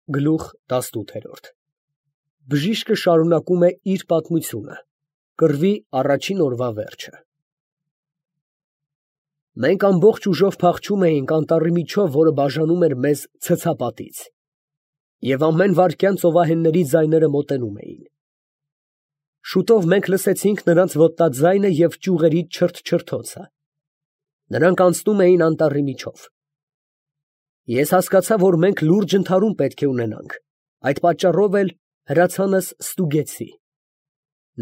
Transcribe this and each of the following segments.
Գլուխ 18 Բժիշկը շարունակում է իր պատմությունը, կռվի առաջին օրվա վերջը։ Մենք ամբողջ ուժով փախչում էինք անտառի միջով, որը բաժանում էր մեզ ցցապատից, և ամեն վայրկյան ծովահենների ձայները մոտենում էին։ Շուտով մենք լսեցինք նրանց ոտնաձայնը և ճյուղերի չրթչրթոցը. նրանք անցնում էին անտառի միջով։ Ես հասկացա, որ մենք լուրջ ընդհարում պետք է ունենանք, այդ պատճառով էլ հրացանս ստուգեցի։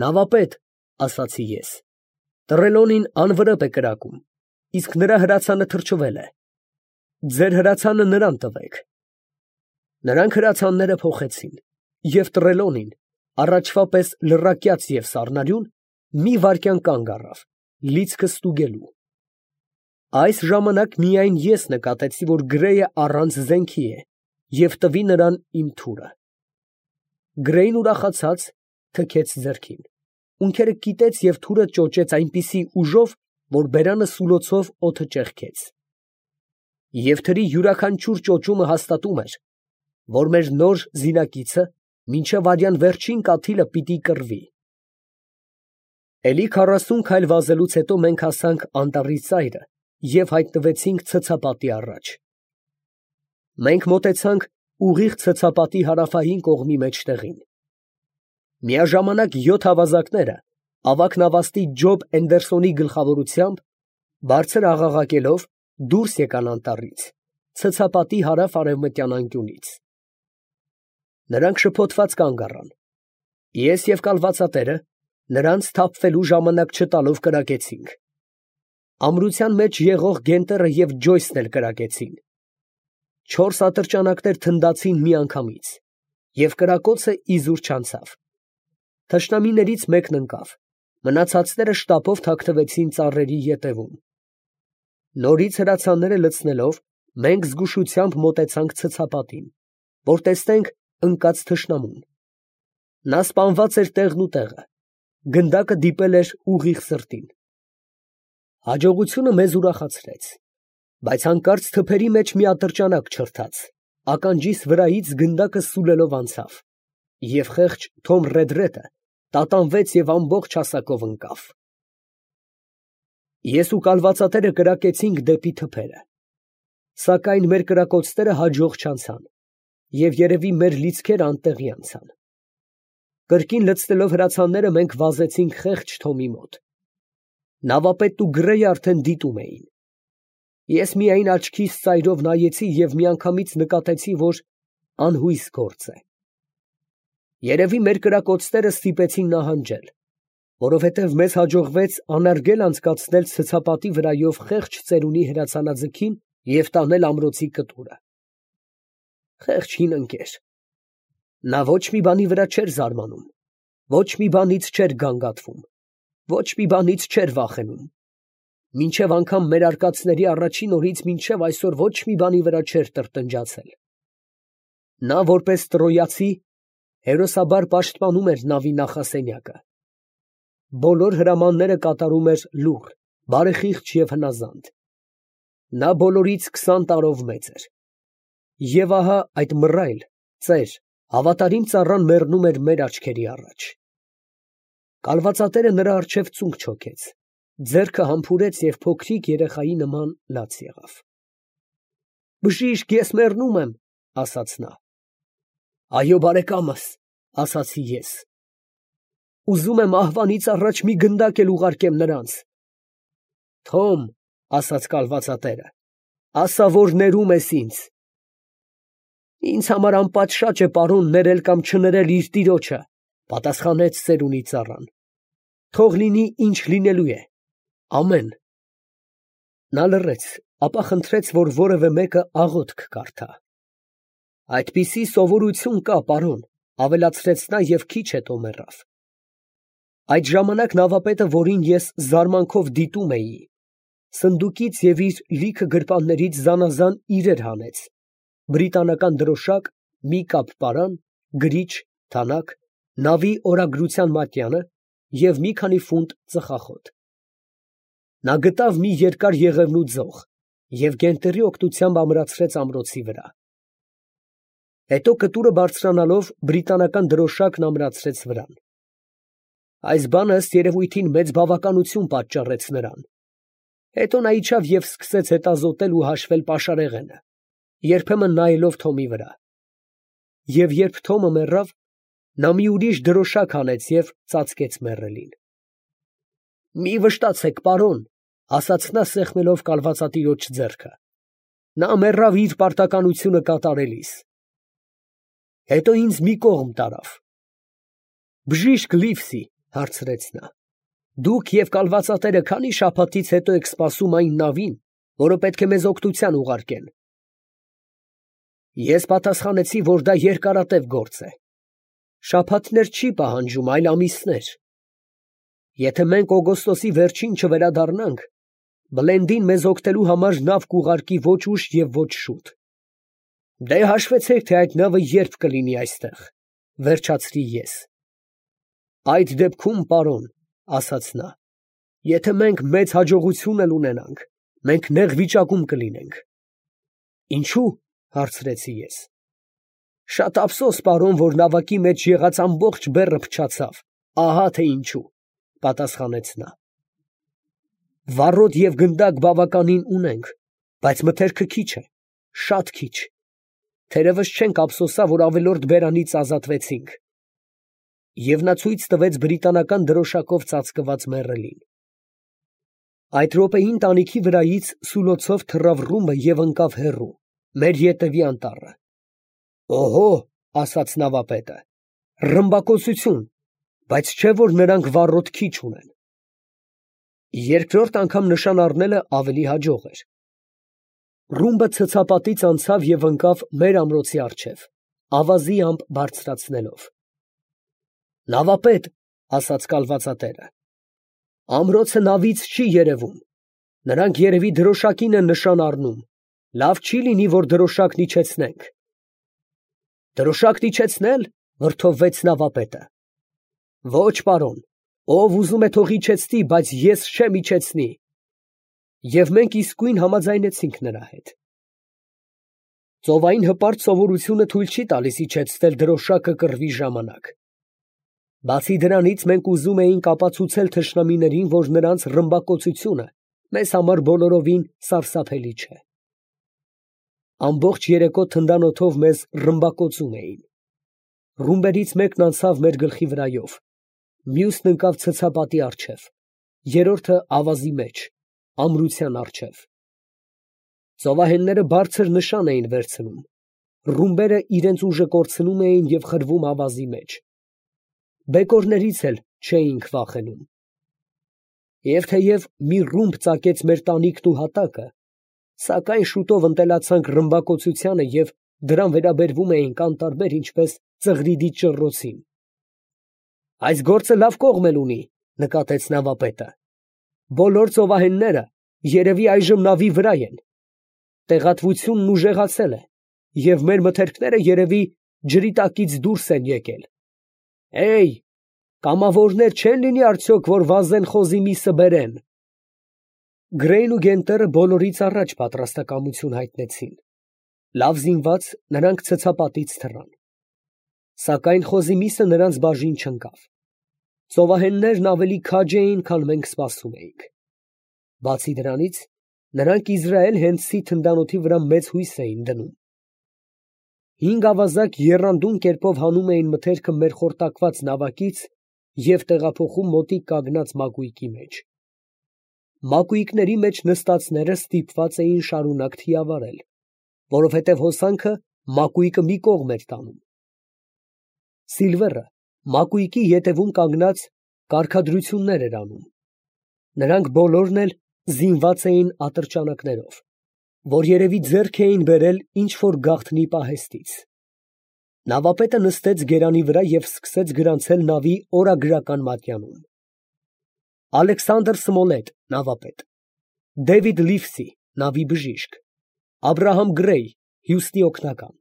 «Նավապետ, ֊ ասացի ես, ֊ Տրելոնին անվրեպ է կրակում, իսկ նրա հրացանը թրջվել է. ձեր հրացանը նրան տվեք»։ Նրանք հրացանները փոխեցին, և Տրելոնին, առաջվա պես լռակյաց և սառնարյուն, մի վայրկյան կանգ առավ, լիցքը ստուգելու։ Այս ժամանակ միայն ես նկատեցի, որ Գրեյը առանց զենքի է, և տվի նրան իմ թուրը։ Գրեյն ուրախացած թքեց ձեռքին, ունքերը կիտեց և թուրը ճոճեց այնպիսի ուժով, որ բերանը սուլոցով օդը ճեղքեց։ Եվ թրի յուրաքանչյուր ճոճումը հաստատում էր, որ մեր նոր զինակիցը մինչև արյան վերջին կաթիլը պիտի կռվի։ Էլի 40 քայլ վազելուց հետո մենք հասանք անտառի ծայրը և հայտնվեցինք ցցապատի առաջ։ Մենք մոտեցանք ուղիղ ցցապատի հարավային կողմի մեջտեղին։ Միաժամանակ 7 ավազակները, ավագ նավաստի Ջոբ Էնդերսոնի գլխավորությամբ, բարձր աղաղակելով, դուրս եկան անտառից, ցցապատի հարավ֊արևմտյան անկյունից։ Նրանք շփոթված կանգ առան։ Ես և կալվածատերը նրանց թափվելու ժամանակ չտալով կրակեցինք։ Ամրության մեջ եղող Գենտերը և Ջոյսն էլ կրակեցին։ 4 ատրճանակներ թնդացին միանգամից, և կրակոցը իզուր չանցավ։ Թշնամիներից մեկն ընկավ, մնացածները շտապով թաքնվեցին ծառերի ետևում։ Նորից հրացանները լցնելով, մենք զգուշությամբ մոտեցանք ցցապատին, որ տեսնենք ընկած թշնամուն։ Նա սպանված էր տեղնուտեղը, գնդակը դիպել էր ուղիղ սրտին։ Հաջողությունը մեզ ուրախացրեց, բայց հանկարծ թփերի մեջ մի ատրճանակ չրթաց, ականջիս վրայից գնդակը սուլելով անցավ, և խեղճ Թոմ Ռեդրեդը տատանվեց և ամբողջ հասակով ընկավ։ Ես ու կալվածատերը կրակեցինք դեպի թփերը, սակայն մեր կրակոցները հաջող չանցան, և երևի մեր լիցքերը անտեղի անցան։ Կրկին լցնելով հրացանները մենք վազեցինք խեղճ Թոմի մոտ։ Նավապետն ու Գրեյը արդեն դիտում էին։ Ես միայն աչքիս ծայրով նայեցի և միանգամից նկատեցի, որ անհույս գործ է։ Երևի մեր կրակոցները ստիպեցին նահանջել, որովհետև մեզ հաջողվեց անարգել անցկացնել ցցապատի վրայով խեղճ ծերունի հրացանաձգին և տանել ամրոցի կտուրը։ Խեղճ հին ընկեր։ Նա ոչ մի բանի վրա չէր զարմանում, ոչ մի բանից չէր գանգատվում, ոչ մի բանից չէր վախենում։ Մինչև անգամ մեր արկածների առաջին օրից մինչև այսօր ոչ մի բանի վրա չէր տրտնջացել։ Նա, որպես տրոյացի, հերոսաբար պաշտպանում էր նավի նախասենյակը։ Բոլոր հրամանները կատարում էր լուռ, բարեխիղճ և հնազանդ։ Նա բոլորից 20 տարով մեծ էր։ Եվ ահա այդ մռայլ, ծեր, հավատարիմ ծառան մեռնում էր մեր աչքերի առաջ։ Կալվածատերը նրա առջև ծունկ չոքեց, ձեռքը համբուրեց և փոքրիկ երեխայի նման լաց եղավ։ «Բժիշկ, ես մեռնում եմ», ֊ ասաց նա։ «Այո, բարեկամս», ֊ ասացի ես։ «Ուզում եմ ահվանից առաջ մի գնդակ էլ ուղարկեմ նրանց»։ «Թոմ, ֊ ասաց կալվածատերը, ֊ ասա, որ ներում ես ինձ»։ «Ինձ համար անպատշաճ է, պարոն, ներել կամ չներել իր տիրոջը», ֊ պատասխանեց ծերունի ծառան։ «Թող լինի, ինչ լինելու է, ամեն»։ Նա լռեց, ապա խնդրեց, որ որևէ մեկը աղոթք կարդա։ «Այդպիսի սովորություն կա, պարոն», ֊ ավելացրեց նա և քիչ հետո մեռավ։ Այդ ժամանակ նավապետը, որին ես զարմանքով դիտում էի, սնդուկից և իր լիքը գրպաններից զանազան իրեր հանեց, բրիտանական դրոշակ, մի կապ պարան, գրիչ, թանակ, նավի օրագրության մատյանը և մի քանի ֆունտ ծխախոտ։ Նա գտավ մի երկար եղևնու ձող և Գենտերի օգնությամբ ամրացրեց ամրոցի վրա։ Հետո կտուրը բարձրանալով բրիտանական դրոշակն ամրացրեց վրան։ Այս բանը ըստ երևույթին մեծ բավականություն պատճառեց նրան։ Հետո նա իջավ և սկսեց հետազոտել ու հաշվել պաշարեղենը, երբեմն նայելով Թոմի վրա։ Եվ երբ Թոմը մեռավ, նա մի ուրիշ դրոշակ հանեց և ծածկեց մեռելին։ «Մի վշտացեք, պարոն», ասաց նա սեղմելով կալվածատիրոջ ձեռքը. «նա մեռավ իր պարտականությունը կատարելիս»։ Հետո ինձ մի կողմ տարավ։ «Բժիշկ Լիվսի, ֊ հարցրեց նա, ֊ դուք և կալվածատերը քանի՞ շաբաթից հետո եք սպասում այն նավին, որը պետք է մեզ օգնության ուղարկեն»։ Ես պատասխանեցի, որ դա երկարատև գործ է։ Շաբաթներ չի պահանջում, այլ ամիսներ։ Եթե մենք օգոստոսի վերջին չվերադառնանք, Բլենդին մեզ օգնելու համար նավ կուղարկի ոչ ուշ և ոչ շուտ։ Դե հաշվեցեք, թե այդ նավը երբ կլինի այստեղ, ֊ վերջացրի ես։ Այդ դեպքում, պարոն, ֊ ասաց նա, ֊ եթե մենք մեծ հաջողություն էլ ունենանք, մենք նեղ վիճակում կլինենք։ Ինչո՞ւ, ֊ հարցրեցի ես։ Շատ ափսոս, պարոն, որ նավակի մեջ եղած ամբողջ բեռը փչացավ, ահա թե ինչու, ֊ պատասխանեց նա։ Վառոդ և գնդակ բավականին ունենք, բայց մթերքը քիչ է, շատ քիչ։ Թերևս չենք ափսոսա, որ ավելորդ բերանից ազատվեցինք։ Եվ նա ցույց տվեց բրիտանական դրոշակով ծածկված մեռելին։ Այդ րոպեին տանիքի վրայից սուլոցով թռավ ռումբը և ընկավ հեռու, մեր ետևի անտառը։ «Օհո», ֊ ասաց նավապետը, ֊ «ռմբակոծություն, բայց չէ՞ որ նրանք վառոդ քիչ ունեն»։ Երկրորդ անգամ նշան առնելը ավելի հաջող էր։ Ռումբը ցցապատից անցավ և ընկավ մեր ամրոցի առջև, ավազի ամպ բարձրացնելով։ «Նավապետ, ֊ ասաց կալվածատերը, ֊ ամրոցը նավից չի երևում, նրանք երևի դրոշակին են նշան առնում, լավ չի լինի, որ դրոշակն իջեցնենք»։ «Դրոշակն իջեցնե՞լ, ֊ վրդովվեց նավապետը։ ֊ Ոչ, պարոն, ով ուզում է թող իջեցնի, բայց ես չեմ իջեցնի։ Եվ մենք իսկույն համաձայնեցինք նրա հետ։ Ծովային հպարտ սովորությունը թույլ չի տալիս իջեցնել դրոշակը կռվի ժամանակ։ Բացի դրանից, մենք ուզում էինք ապացուցել թշնամիներին, որ նրանց ռմբակոծությունը մեզ համար բոլորովին սարսափելի չէ։ Ամբողջ երեկո թնդանոթով մեզ ռմբակոծում էին։ Ռումբերից մեկն անցավ մեր գլխի վրայով, մյուսն ընկավ ցցապատի առջև, երրորդը ավազի մեջ, ամրության առջև։ Ծովահենները բարձր նշան էին վերցնում, ռումբերը իրենց ուժը կորցնում էին և խրվում ավազի մեջ։ Բեկորներից էլ չէինք վախենում։ Եվ թեև մի ռումբ ծակեց մեր տանիքն ու հատակը, սակայն շուտով ընտելացանք ռմբակոծությանը և դրան վերաբերվում էինք անտարբեր, ինչպես ծղրիդի ճռռոցին։ Այս գործը լավ կողմ էլ ունի, ֊ նկատեց նավապետը։ Բոլոր ծովահենները երևի այժմ նավի վրա են։ Տեղատվությունն ուժեղացել է, և մեր մթերքները երևի ջրի տակից դուրս են եկել։ Էյ, կամավորներ չեն լինի արդյոք, որ վազեն խոզի միսը բերեն։ Գրեյն ու Գենտերը բոլորից առաջ պատրաստակամություն հայտնեցին։ Լավ զինված, նրանք ցցապատից թռան։ Սակայն խոզի միսը նրանց բաժին չընկավ։ Ծովահեններն ավելի քաջ էին, քան մենք սպասում էինք։ Բացի դրանից, նրանք Իզրայել հենցի թնդանոթի վրա մեծ հույս էին դնում։ 5 ավազակ եռանդուն կերպով հանում էին մթերքը մեր խորտակված նավակից և տեղափոխում մոտիկ կանգնած մակույկի մեջ։ Մակույկների մեջ նստածները ստիպված էին շարունակ թիավարել, որովհետև հոսանքը մակույկը մի կողմ էր տանում։ Սիլվերը մակույկի ետևում կանգնած կարգադրություններ էր անում։ Նրանք բոլորն էլ զինված էին ատրճանակներով, որ երևի ձեռք էին բերել ինչ֊որ գաղտնի պահեստից։ Նավապետը նստեց գերանի վրա և սկսեց գրանցել նավի օրագրական մատյանում։ Ալեքսանդր Սմոլետ, նավապետ, Դեվիդ Լիվսի, նավի բժիշկ, Աբրահամ Գրեյ, հյուսնի օգնական,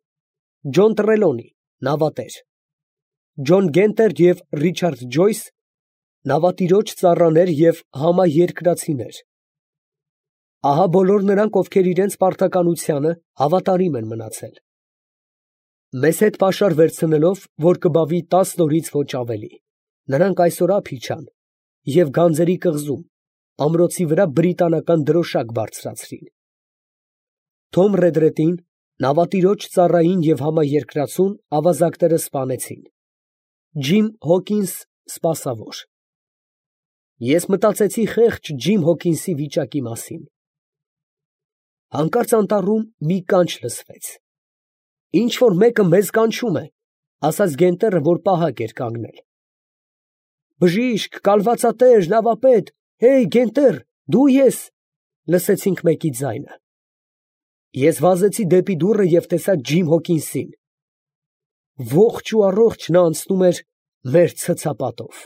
Ջոն Տրելոնի, նավատեր, Ջոն Գենտեր և Ռիչարդ Ջոյս, նավատիրոջ ծառաներ և համաերկրացիներ։ Ահա բոլոր նրանք, ովքեր իրենց պարտականությանը հավատարիմ են մնացել։ Մեզ հետ պաշար վերցնելով, որ կբավի 10 օրից ոչ ավելի, նրանք այսօր ափ իջան և գանձերի կղզում, ամրոցի վրա բրիտանական դրոշակ բարձրացրին։ Թոմ Ռեդրետին, նավատիրոջ ծառային և համաերկրացուն ավազակները սպանեցին։ Ջիմ Հոքինս սպասավոր։ Ես մտածեցի խեղճ Ջիմ Հոքինսի վիճակի մասին։ Հանկարծ անտառում մի կանչ լսվեց։ Ինչ֊որ մեկը մեզ կանչում է, ասաց Գենտերը, որ պահակ էր կանգնել։ Բժիշկ, կալվածատեր, նավապետ, հեյ, Գենտեր, դու ես, լսեցինք մեկի ձայնը։ Ես վազեցի դեպի դուռը և տեսա Ջիմ Հոքինսին։ Ողջ ու առողջ նա անցնում էր մեր ցցապատով։